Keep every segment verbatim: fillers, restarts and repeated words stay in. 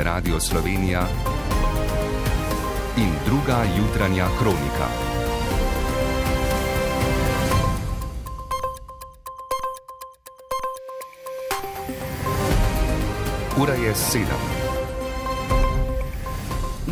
Radio Slovenija in druga jutranja kronika. Ura je sedem.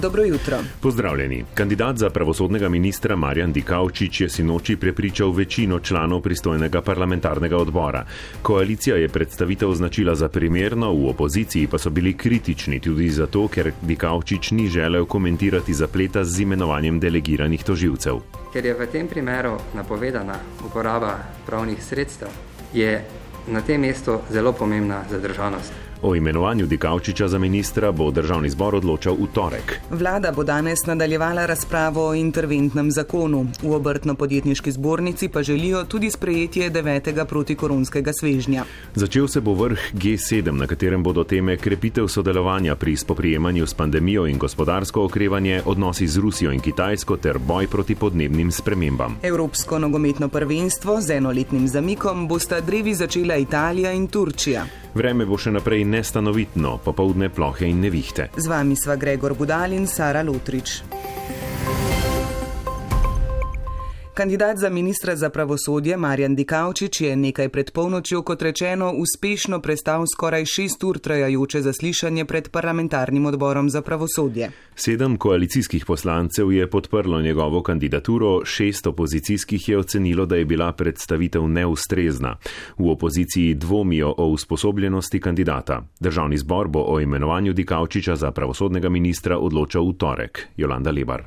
Dobro jutro. Pozdravljeni. Kandidat za pravosodnega ministra Marjan Dikaučič je sinoči prepričal večino članov pristojnega parlamentarnega odbora. Koalicija je predstavitev označila za primerno, v opoziciji pa so bili kritični tudi zato, ker Dikaučič ni želel komentirati zapleta z imenovanjem delegiranih tožilcev. Ker je v tem primeru napovedana uporaba pravnih sredstev, je na tem mestu zelo pomembna zadržanost. O imenovanju Dikaučiča za ministra bo državni zbor odločal v torek. Vlada bo danes nadaljevala razpravo o interventnem zakonu. V obrtno-podjetniški zbornici pa želijo tudi sprejetje devetega protikoronskega svežnja. Začel se bo vrh G sedem, na katerem bodo teme krepitev sodelovanja pri spoprijemanju s pandemijo in gospodarsko okrevanje, odnosi z Rusijo in Kitajsko ter boj proti podnebnim spremembam. Evropsko nogometno prvenstvo z enoletnim zamikom bosta drevi začela Italija in Turčija. Vreme bo še naprej nestanovitno, popoldne plohe in nevihte. Z vami sva Gregor Budal in Sara Lotrič. Kandidat za ministra za pravosodje Marjan Dikaučič je nekaj pred polnočjo, kot rečeno, uspešno prestal skoraj šest ur trajajoče zaslišanje pred parlamentarnim odborom za pravosodje. Sedem koalicijskih poslancev je podprlo njegovo kandidaturo, šest opozicijskih je ocenilo, da je bila predstavitev neustrezna. V opoziciji dvomijo o usposobljenosti kandidata. Državni zbor bo o imenovanju Dikaučiča za pravosodnega ministra odločal v torek. Jolanda Lebar.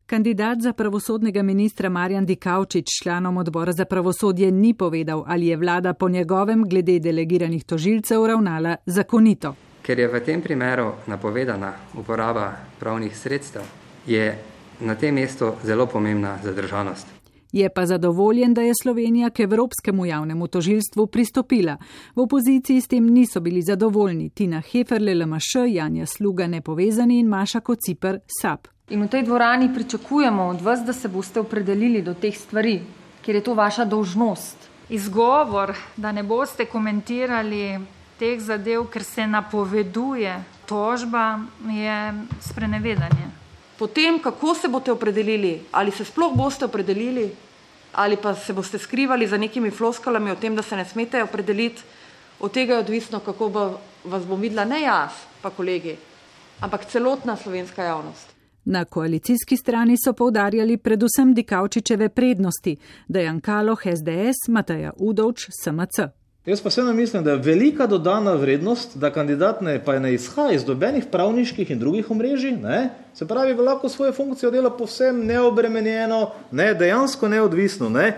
Kandidat za pravosodnega ministra Marjan Dikaučič članom odbora za pravosodje ni povedal, ali je vlada po njegovem glede delegiranih tožilcev ravnala zakonito. Ker je v tem primeru napovedana uporaba pravnih sredstev, je na tem mestu zelo pomembna zadržanost. Je pa zadovoljen, da je Slovenija k Evropskemu javnemu tožilstvu pristopila. V opoziciji s tem niso bili zadovoljni Tina Heferle L M Š, Janja Sluga Nepovezani in Maša Kociper S A P. In v tej dvorani pričakujemo od vas, da se boste opredelili do teh stvari, ker je to vaša dolžnost. Izgovor, da ne boste komentirali teh zadev, ker se napoveduje tožba, je sprenevedanje. Potem, kako se boste opredelili, ali se sploh boste opredelili, ali pa se boste skrivali za nekimi floskalami o tem, da se ne smete opredeliti, od tega je odvisno, kako bo vas bom videla, ne jaz, pa kolegi, ampak celotna slovenska javnost. Na koalicijski strani so poudarjali predvsem Dikaučičeve prednosti, Dejan Kaloh S D S, Mateja Udovč S M C. Jaz pa vseeno mislim, da je velika dodana vrednost, da kandidat ne, pa ne izhaja iz dobenih pravniških in drugih omrežij, ne? Se pravi, da lahko svojo funkcijo dela povsem neobremenjeno, ne, dejansko neodvisno. Ne?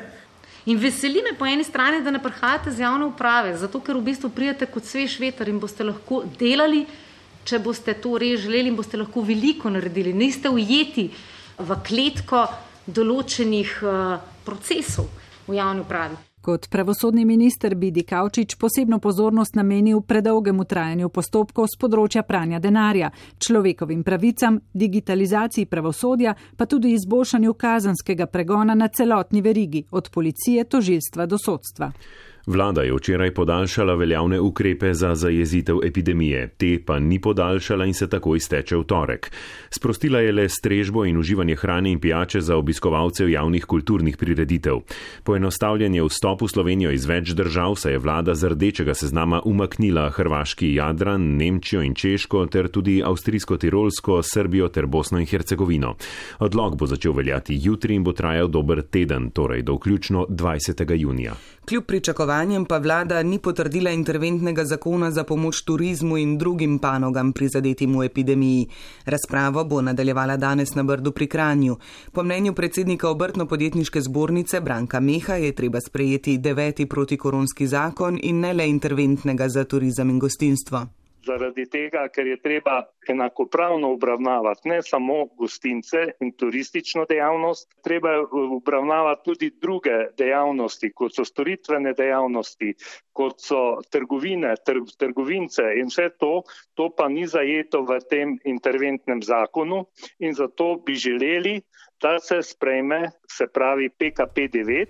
In veseli me po eni strani, da ne prihajate z javne uprave, zato ker v bistvu prijete kot svež veter in boste lahko delali, če boste to res želeli in boste lahko veliko naredili. Niste ujeti v kletko določenih uh, procesov v javni upravi. Kot pravosodni minister bi Dikaučič posebno pozornost namenil predolgemu trajanju postopkov z področja pranja denarja, človekovim pravicam, digitalizaciji pravosodja, pa tudi izboljšanju kazenskega pregona na celotni verigi, od policije, tožilstva do sodstva. Vlada je včeraj podaljšala veljavne ukrepe za zajezitev epidemije, te pa ni podaljšala in se tako izteče v torek. Sprostila je le strežbo in uživanje hrane in pijače za obiskovalce javnih kulturnih prireditev. Poenostavljen je vstop v Slovenijo iz več držav, saj je vlada z rdečega seznama umaknila hrvaški Jadran, Nemčijo in Češko ter tudi avstrijsko-tirolsko, Srbijo ter Bosno in Hercegovino. Odlok bo začel veljati jutri in bo trajal dober teden, torej do vključno dvajsetega junija. Kljub pričakovanjem pa vlada ni potrdila interventnega zakona za pomoč turizmu in drugim panogam prizadetim v epidemiji. Razpravo bo nadaljevala danes na Brdu pri Kranju. Po mnenju predsednika obrtno-podjetniške zbornice Branka Meha je treba sprejeti deveti protikoronski zakon in ne le interventnega za turizem in gostinstvo. Zaradi tega, ker je treba enakopravno obravnavati ne samo gostince in turistično dejavnost, treba je obravnavati tudi druge dejavnosti, kot so storitvene dejavnosti, kot so trgovine, tr- trgovince in vse to, to pa ni zajeto v tem interventnem zakonu in zato bi želeli, da se sprejme, se pravi P K P devet.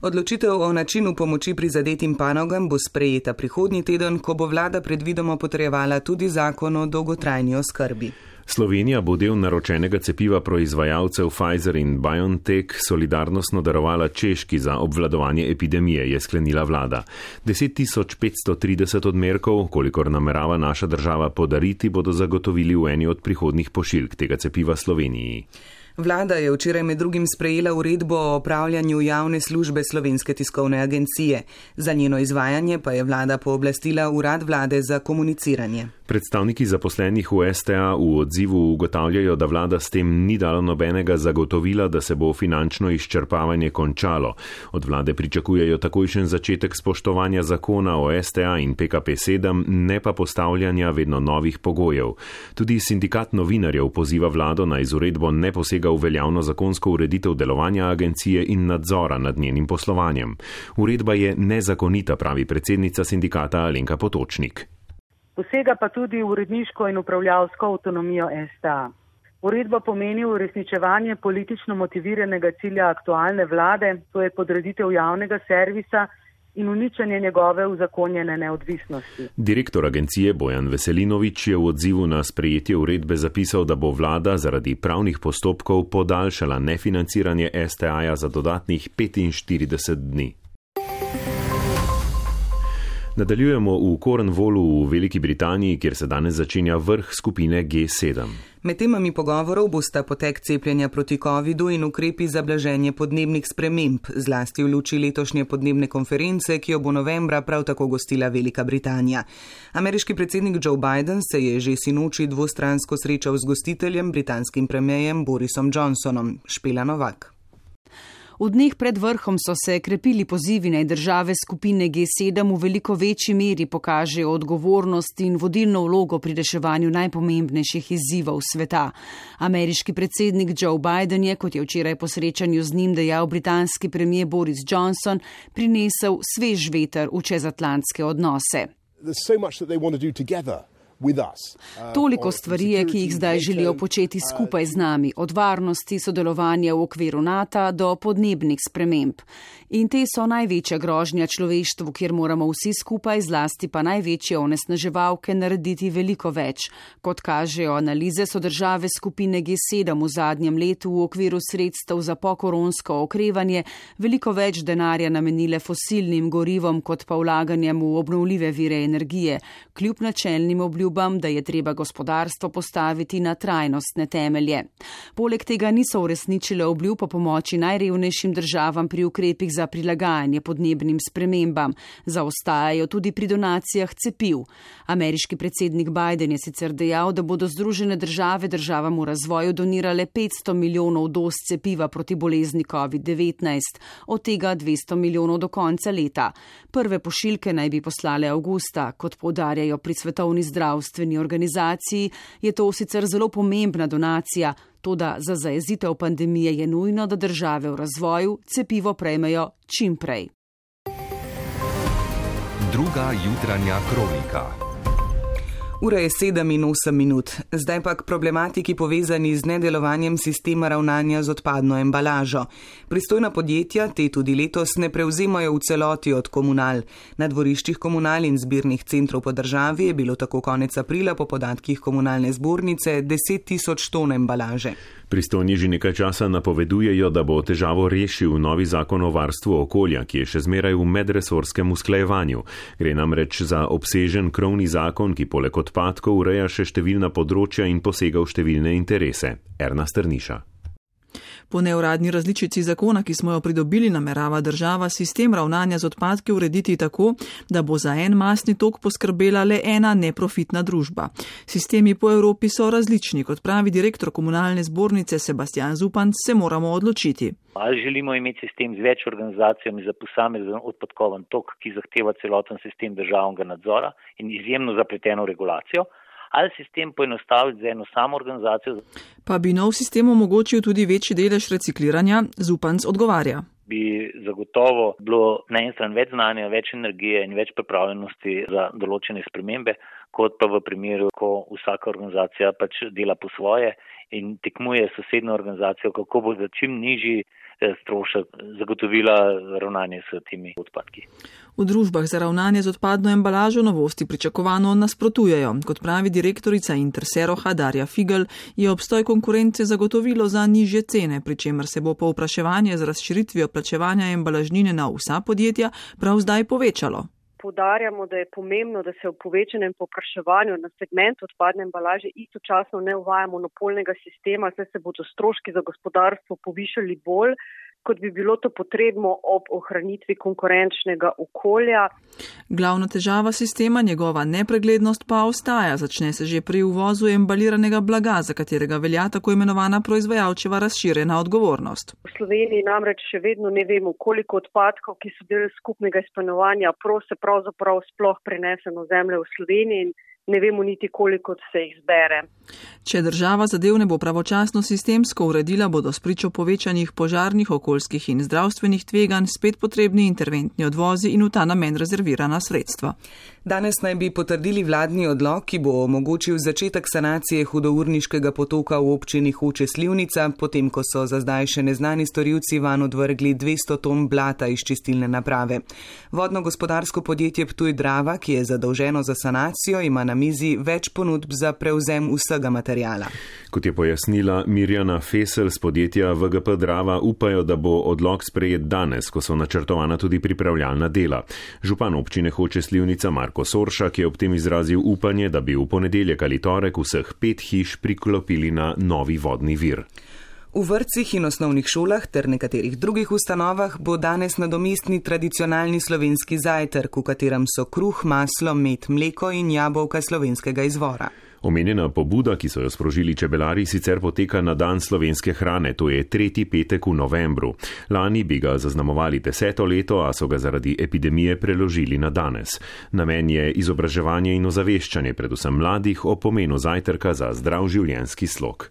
Odločitev o načinu pomoči prizadetim panogam bo sprejeta prihodnji teden, ko bo vlada predvidoma potrjevala tudi zakon o dolgotrajni oskrbi. Slovenija bo del naročenega cepiva proizvajalcev Pfizer in BioNTech solidarnostno darovala Češki za obvladovanje epidemije, je sklenila vlada. deset tisoč petsto trideset odmerkov, kolikor namerava naša država podariti, bodo zagotovili v eni od prihodnjih pošiljk tega cepiva Sloveniji. Vlada je včeraj med drugim sprejela uredbo o opravljanju javne službe Slovenske tiskovne agencije. Za njeno izvajanje pa je vlada pooblastila Urad vlade za komuniciranje. Predstavniki zaposlenih v S T A v odzivu ugotavljajo, da vlada s tem ni dala nobenega zagotovila, da se bo finančno izčrpavanje končalo. Od vlade pričakujejo takojšen začetek spoštovanja zakona o S T A in P K P sedem, ne pa postavljanja vedno novih pogojev. Tudi sindikat novinarjev poziva vlado naj z uredbo ne posega v veljavno zakonsko ureditev delovanja agencije in nadzora nad njenim poslovanjem. Uredba je nezakonita, pravi predsednica sindikata Alenka Potočnik. Posega pa tudi v uredniško in upravljavsko avtonomijo S T A. Uredba pomeni uresničevanje politično motiviranega cilja aktualne vlade, to je podreditev javnega servisa in uničenje njegove uzakonjene neodvisnosti. Direktor agencije Bojan Veselinovič je v odzivu na sprejetje uredbe zapisal, da bo vlada zaradi pravnih postopkov podaljšala nefinanciranje S T A-ja za dodatnih petinštirideset dni. Nadaljujemo v Cornwallu v Veliki Britaniji, kjer se danes začenja vrh skupine G sedem. Med temami pogovorov bosta potek cepljenja proti covidu in ukrepi za blaženje podnebnih sprememb, zlasti v luči letošnje podnebne konference, ki jo bo novembra prav tako gostila Velika Britanija. Ameriški predsednik Joe Biden se je že sinoči dvostransko srečal z gostiteljem, britanskim premierjem Borisom Johnsonom. Špela Novak. V dneh pred vrhom so se krepili pozivi, naj države skupine G sedem v veliko večji meri pokažejo odgovornost in vodilno vlogo pri reševanju najpomembnejših izzivov sveta. Ameriški predsednik Joe Biden je, kot je včeraj po srečanju z njim dejal britanski premier Boris Johnson, prinesel svež veter v čezatlantske odnose. Toliko stvari je, ki jih zdaj želijo početi skupaj z nami, od varnosti, sodelovanja v okviru NATO do podnebnih sprememb. In te so največja grožnja človeštvu, kjer moramo vsi skupaj, zlasti pa največje onesnaževalke, narediti veliko več. Kot kažejo analize, so države skupine G sedem v zadnjem letu v okviru sredstev za pokoronsko okrevanje veliko več denarja namenile fosilnim gorivom, kot pa vlaganjem v obnovljive vire energije, kljub načelnim obljubam, da je treba gospodarstvo postaviti na trajnostne temelje. Poleg tega niso uresničile obljub o pomoči najrevnejšim državam pri ukrepih za prilagajanje podnebnim spremembam. Zaostajajo tudi pri donacijah cepiv. Ameriški predsednik Biden je sicer dejal, da bodo Združene države državam v razvoju donirale petsto milijonov doz cepiva proti bolezni covid devetnajst, od tega dvesto milijonov do konca leta. Prve pošiljke naj bi poslale avgusta. Kot poudarjajo pri Svetovni zdravstveni organizaciji, je to sicer zelo pomembna donacija, toda za zajezitev pandemije je nujno, da države v razvoju cepivo prejmejo čim prej. Druga jutranja kronika. Ura je sedem in osem minut. Zdaj pa k problematiki povezani z nedelovanjem sistema ravnanja z odpadno embalažo. Pristojna podjetja te tudi letos ne prevzemajo v celoti od Komunal. Na dvoriščih Komunal in zbirnih centrov po državi je bilo tako konec aprila po podatkih Komunalne zbornice deset tisoč ton embalaže. Pristojni že nekaj časa napovedujejo, da bo težavo rešil novi zakon o varstvu okolja, ki je še zmeraj v medresorskem usklajevanju. Gre namreč za obsežen krovni zakon, ki poleg odpadkov ureja še številna področja in posega v številne interese. Erna Strniša. Po neuradni različici zakona, ki smo jo pridobili, namerava država sistem ravnanja z odpadki urediti tako, da bo za en masni tok poskrbela le ena neprofitna družba. Sistemi po Evropi so različni, kot pravi direktor Komunalne zbornice Sebastian Zupanc, se moramo odločiti. Ali želimo imeti sistem z več organizacijami za posamezen odpadkoven tok, ki zahteva celoten sistem državnega nadzora in izjemno zapleteno regulacijo, ali sistem poenostaviti za eno samo organizacijo. Pa bi nov sistem omogočil tudi večji delež recikliranja, Zupanc odgovarja. Bi zagotovo bilo na en stran več znanja, več energije in več pripravljenosti za določene spremembe, kot pa v primeru, ko vsaka organizacija pač dela po svoje in tekmuje s sosednjo organizacijo, kako bo za čim nižji strošek zagotovila ravnanje s temi odpadki. V družbah za ravnanje z odpadno embalažo novosti pričakovano nasprotujejo. Kot pravi direktorica Interseroha Darja Figel, je obstoj konkurence zagotovilo za nižje cene, pri čemer se bo povpraševanje z razširitvijo plačevanja embalažnine na vsa podjetja prav zdaj povečalo. Poudarjamo, da je pomembno, da se v povečanem povpraševanju na segment odpadne embalaže istočasno ne uvaja monopolnega sistema, saj se bodo stroški za gospodarstvo povišali bolj, kot bi bilo to potrebno ob ohranitvi konkurenčnega okolja. Glavna težava sistema, njegova nepreglednost pa ostaja. Začne se že pri uvozu embaliranega blaga, za katerega velja tako imenovana proizvajalčeva razširjena odgovornost. V Sloveniji namreč še vedno ne vemo, koliko odpadkov, ki so del skupnega izpolnjevanja pro se pravzaprav sploh prenese na ozemlje v Sloveniji in ne vemo niti, koliko se jih zbere. Če država zadev ne bo pravočasno sistemsko uredila, bodo spričo povečanih požarnih, okoljskih in zdravstvenih tveganj spet potrebni interventni odvozi in v ta namen rezervirana sredstva. Danes naj bi potrdili vladni odlok, ki bo omogočil začetek sanacije hudourniškega potoka v občini Hoče - Slivnica, potem ko so za zdaj še neznani storilci van odvrgli dvesto ton blata iz čistilne naprave. Vodno-gospodarsko podjetje Ptuj Drava, ki je zadolženo za sanacijo, ima na mizi več ponudb za prevzem vsega materijala. Kot je pojasnila Mirjana Fesel z podjetja V G P Drava, upajo, da bo odlok sprejet danes, ko so načrtovana tudi pripravljalna dela. Župan občine Hoče - Slivnica Marko Soršak je ob tem izrazil upanje, da bi v ponedeljek ali torek vseh pet hiš priklopili na novi vodni vir. V vrtcih in osnovnih šolah ter nekaterih drugih ustanovah bo danes nadomestni tradicionalni slovenski zajtrk, v katerem so kruh, maslo, med, mleko in jabolka slovenskega izvora. Omenjena pobuda, ki so jo sprožili čebelari, sicer poteka na dan slovenske hrane, to je tretji petek v novembru. Lani bi ga zaznamovali deseto leto, a so ga zaradi epidemije preložili na danes. Namen je izobraževanje in ozaveščanje predvsem mladih o pomenu zajtrka za zdrav življenjski slog.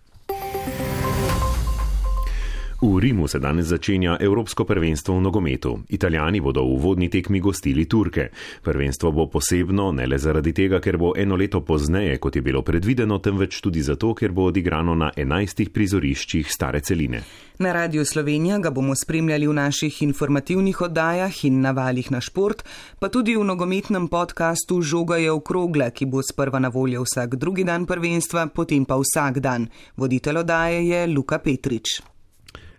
V Rimu se danes začenja Evropsko prvenstvo v nogometu. Italijani bodo v uvodni tekmi gostili Turke. Prvenstvo bo posebno ne le zaradi tega, ker bo eno leto pozneje, kot je bilo predvideno, temveč tudi zato, ker bo odigrano na enajstih prizoriščih stare celine. Na Radiu Slovenija ga bomo spremljali v naših informativnih oddajah in na valih na šport, pa tudi v nogometnem podkastu Žoga je okrogla, ki bo sprva na voljo vsak drugi dan prvenstva, potem pa vsak dan. Voditelj oddaje je Luka Petrič.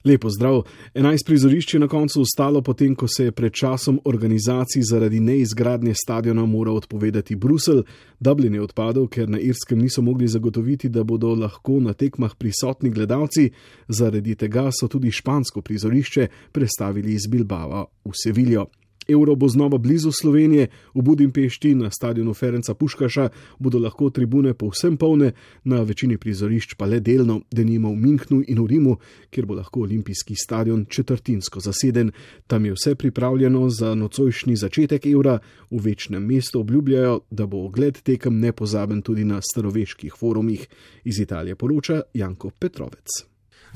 Lepo zdrav. enajst prizorišč je na koncu ostalo, potem ko se je pred časom organizaciji zaradi neizgradnje stadiona moral odpovedati Bruselj. Dublin je odpadel, ker na Irskem niso mogli zagotoviti, da bodo lahko na tekmah prisotni gledalci. Zaradi tega so tudi špansko prizorišče prestavili iz Bilbava v Seviljo. Euro bo znova blizu Slovenije, v Budimpešti na stadionu Ferenca Puškaša bodo lahko tribune povsem polne, na večini prizorišč pa le delno, denimo v Münchnu in v Rimu, kjer bo lahko olimpijski stadion četrtinsko zaseden. Tam je vse pripravljeno za nocojšnji začetek Eura, v večnem mestu obljubljajo, da bo ogled tekem nepozaben tudi na staroveških forumih. Iz Italije poroča Janko Petrovec.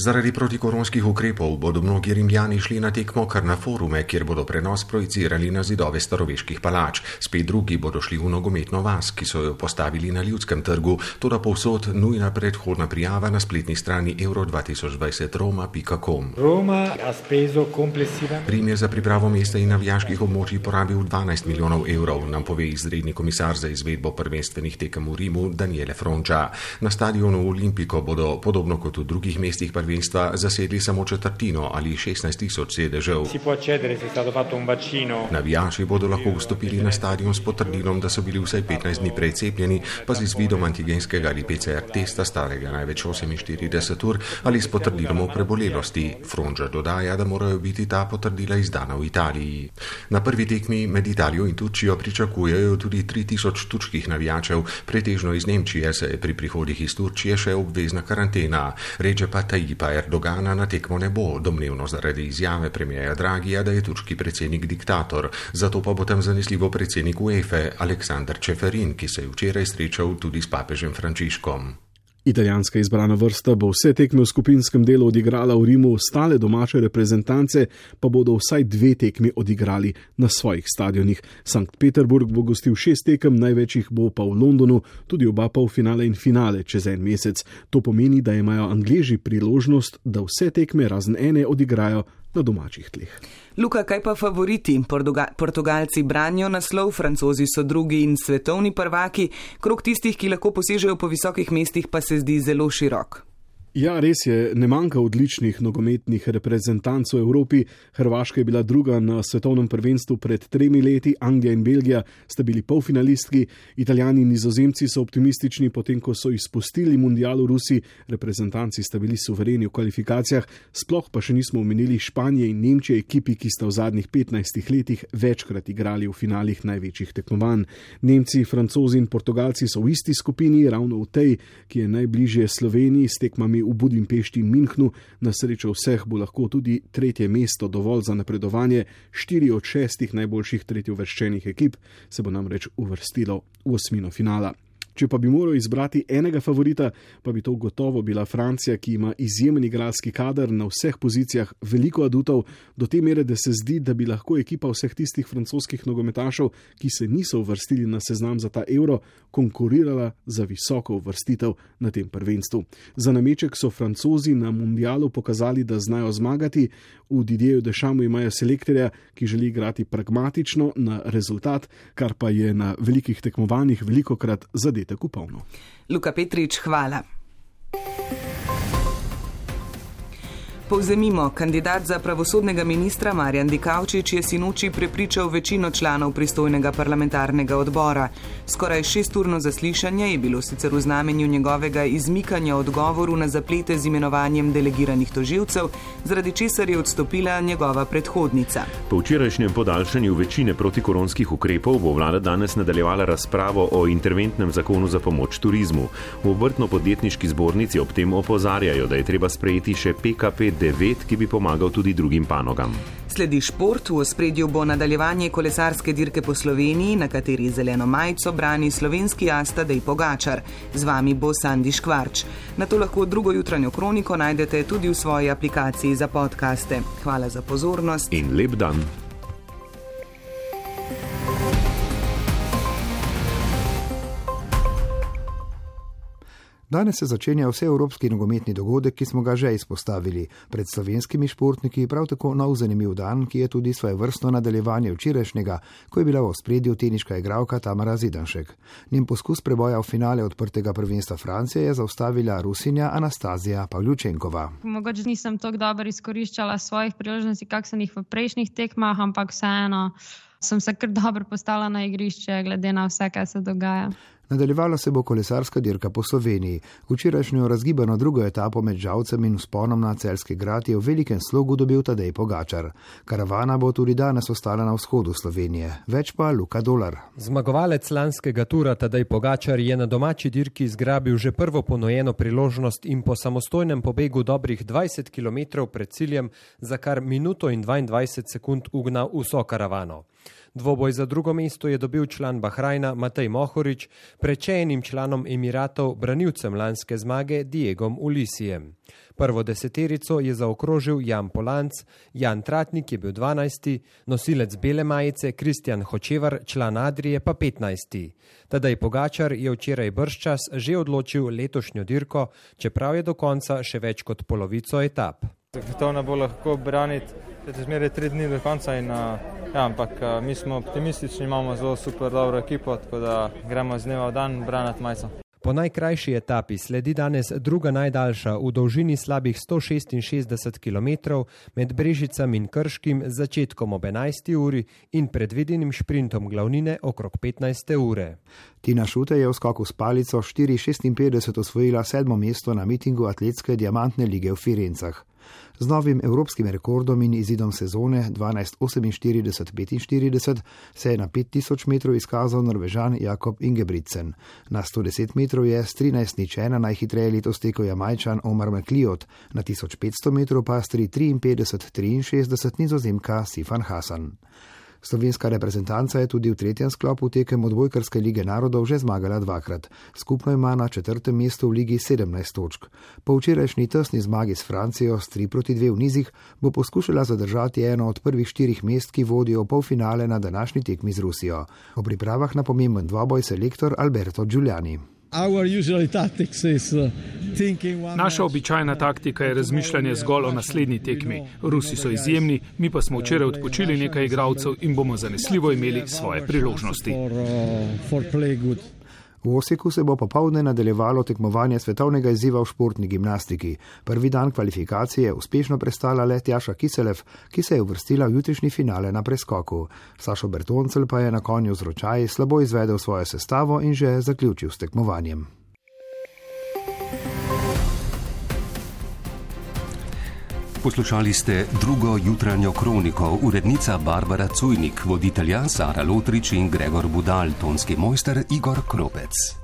Zaradi protikoronskih ukrepov bodo mnogi Rimljani šli na tekmo kar na forume, kjer bodo prenos projicirali na zidove staroveških palač. Spet drugi bodo šli v nogometno vas, ki so jo postavili na Ljudskem trgu, toda povsod nujna predhodna prijava na spletni strani euro dva tisoč dvajset roma pika com. Rim je za pripravo mesta in navijaških območij porabil dvanajst milijonov evrov, nam pove izredni komisar za izvedbo prvenstvenih tekem v Rimu Daniele Fronča. Na stadionu Olimpiko bodo, podobno kot v drugih mestih prvenstva, zasedli samo četrtino ali šestnajst tisoč sedežev. Navijači bodo lahko vstopili na stadion s potrdilom, da so bili vsaj petnajst dni prej cepljeni, pa z izvidom antigenskega ali P C R testa starega največ oseminštirideset ur ali s potrdilom o prebolelosti. Fronča dodaja, da morajo biti ta potrdila izdana v Italiji. Na prvi tekmi med Italijo in Turčijo pričakujejo tudi tri tisoč turških navijačev, pretežno iz Nemčije, se je pri prihodih iz Turčije še obvezna karantena. Reče pa Tayyip Erdogana na tekmo ne bo, domnevno zaradi izjave premierja Draghija, da je turški predsednik diktator. Zato pa bo tam zanesljivo predsednik UEFA Aleksandar Čeferin, ki se je včeraj srečal tudi s papežem Frančiškom. Italijanska izbrana vrsta bo vse tekme v skupinskem delu odigrala v Rimu, ostale domače reprezentance pa bodo vsaj dve tekmi odigrali na svojih stadionih. Sankt Peterburg bo gostil šest tekem, največjih bo pa v Londonu, tudi oba polfinale in finale čez en mesec. To pomeni, da imajo Angleži priložnost, da vse tekme razen ene odigrajo na domačih tleh. Luka, kaj pa favoriti? Portuga- Portugalci branijo naslov, Francozi so drugi in svetovni prvaki, krog tistih, ki lahko posežejo po visokih mestih, pa se zdi zelo širok. Ja, res je, ne manjka odličnih nogometnih reprezentanc v Evropi. Hrvaška je bila druga na svetovnem prvenstvu pred tremi leti, Anglija in Belgija sta bili polfinalistki, Italijani in Nizozemci so optimistični, potem ko so izpustili mundial v Rusiji, reprezentanci sta bili suvereni v kvalifikacijah, sploh pa še nismo omenili Španije in Nemčije, ekipi, ki sta v zadnjih petnajstih letih večkrat igrali v finalih največjih tekmovanj. Nemci, Francozi in Portugalci so v isti skupini, ravno v tej, ki je najbližje Sloveniji, s tekmami v Budimpešti in Minhnu. Na srečo vseh bo lahko tudi tretje mesto dovolj za napredovanje. Štiri od šestih najboljših tretjeuvrščenih ekip se bo namreč uvrstilo v osmino finala. Če pa bi moral izbrati enega favorita, pa bi to gotovo bila Francija, ki ima izjemen igralski kader na vseh pozicijah, veliko adutov, do te mere, da se zdi, da bi lahko ekipa vseh tistih francoskih nogometašev, ki se niso uvrstili na seznam za ta Euro, konkurirala za visoko uvrstitev na tem prvenstvu. Za nameček so Francozi na mundialu pokazali, da znajo zmagati. V Didierju Deschampu imajo selektorja, ki želi igrati pragmatično na rezultat, kar pa je na velikih tekmovanjih velikokrat zadetek v polno. Luka Petrič, hvala. Povzemimo, kandidat za pravosodnega ministra Marjan Dikaučič je sinoči prepričal večino članov pristojnega parlamentarnega odbora. Skoraj šesturno zaslišanje je bilo sicer v znamenju njegovega izmikanja odgovoru na zaplete z imenovanjem delegiranih tožilcev, zaradi česar je odstopila njegova predhodnica. Po včerajšnjem podaljšanju večine protikoronskih ukrepov bo vlada danes nadaljevala razpravo o interventnem zakonu za pomoč turizmu. V obrtno-podjetniški zbornici ob tem opozarjajo, da je treba sprejeti še P K P devet, ki bi pomagal tudi drugim panogam. Sledi šport, v ospredju bo nadaljevanje kolesarske dirke po Sloveniji, na kateri zeleno majico brani slovenski as Tadej Pogačar. Z vami bo Sandi Škvarč. Na to lahko drugo jutranjo kroniko najdete tudi v svoji aplikaciji za podcaste. Hvala za pozornost in lep dan. Danes se začenja vseevropski nogometni dogodek, ki smo ga že izpostavili. Pred slovenskimi športniki prav tako nov zanimiv dan, ki je tudi svojevrstno nadaljevanje včerajšnjega, ko je bila v ospredju teniška igralka Tamara Zidanšek. Njen poskus preboja v finale odprtega prvenstva Francije je zaustavila Rusinja Anastazija Pavljučenkova. Mogoče nisem tako dobro izkoriščala svojih priložnosti, kak sem jih v prejšnjih tekmah, ampak vseeno sem se kar dobro postala na igrišče, glede na vse, kaj se dogaja. Nadaljevala se bo kolesarska dirka po Sloveniji. Včerajšnjo razgibano drugo etapo med Žalcem in vzponom na Celjski grad je v velikem slogu dobil Tadej Pogačar. Karavana bo tudi danes ostala na vzhodu Slovenije. Več pa Luka Dolar. Zmagovalec lanskega tura Tadej Pogačar je na domači dirki zgrabil že prvo ponujeno priložnost in po samostojnem pobegu dobrih dvajset kilometrov pred ciljem za kar minuto in dvaindvajset sekund ugnal vso karavano. Dvoboj za drugo mesto je dobil član Bahrajna Matej Mohorič, pred še enim članom Emiratov, branilcem lanske zmage Diegom Ulisijem. Prvo deseterico je zaokrožil Jan Polanc, Jan Tratnik je bil dvanajsti, nosilec bele majice Kristjan Hočevar, član Adrije pa petnajsti. Tadej Pogačar je včeraj bržčas že odločil letošnjo dirko, čeprav je do konca še več kot polovico etap. To ne bo lahko braniti, je zmeraj tri dni do konca, in, ja, ampak mi smo optimistični, imamo zelo super dobro ekipo, tako da gremo z dneva v dan braniti majico. Po najkrajši etapi sledi danes druga najdaljša v dolžini slabih sto šestinšestdeset kilometrov med Brežicami in Krškim z začetkom ob enajsti uri in predvidenim šprintom glavnine okrog petnajste ure. Tina Šute je v skoku s palico štiri šestinpetdeset osvojila sedmo mesto na mitingu atletske diamantne lige v Firencah. Z novim evropskim rekordom in izidom sezone dvanajst oseminštirideset petinštirideset se je na pet tisoč metrov izkazal Norvežan Jakob Ingebrigtsen. Na sto deset metrov je s trinajst nič ena najhitreje letos tekel Jamajčan Omar McLeod, na tisoč petsto metrov pa s tri triinpetdeset triinšestdeset Nizozemka Sifan Hasan. Slovenska reprezentanca je tudi v tretjem sklopu tekem odbojkarske lige narodov že zmagala dvakrat. Skupno ima na četrtem mestu v ligi sedemnajst točk. Po včerajšnji tesni zmagi s Francijo s tri proti dve v nizih bo poskušala zadržati eno od prvih štirih mest, ki vodijo v polfinale na današnji tekmi z Rusijo. O pripravah na pomemben dvoboj selektor Alberto Giuliani. Naša običajna taktika je razmišljanje zgolj o naslednji tekmi. Rusi so izjemni, mi pa smo včeraj odpočili nekaj igralcev in bomo zanesljivo imeli svoje priložnosti. V Osiku se bo popoldne nadaljevalo tekmovanje svetovnega izziva v športni gimnastiki. Prvi dan kvalifikacije je uspešno prestala le Tjaša Kiselev, ki se je uvrstila v jutrišnji finale na preskoku. Sašo Bertoncel pa je na konju z ročaji slabo izvedel svojo sestavo in že zaključil s tekmovanjem. Poslušali ste drugo jutranjo kroniko, urednica Barbara Cujnik, voditelja Sara Lotrič in Gregor Budal, tonski mojster Igor Kropec.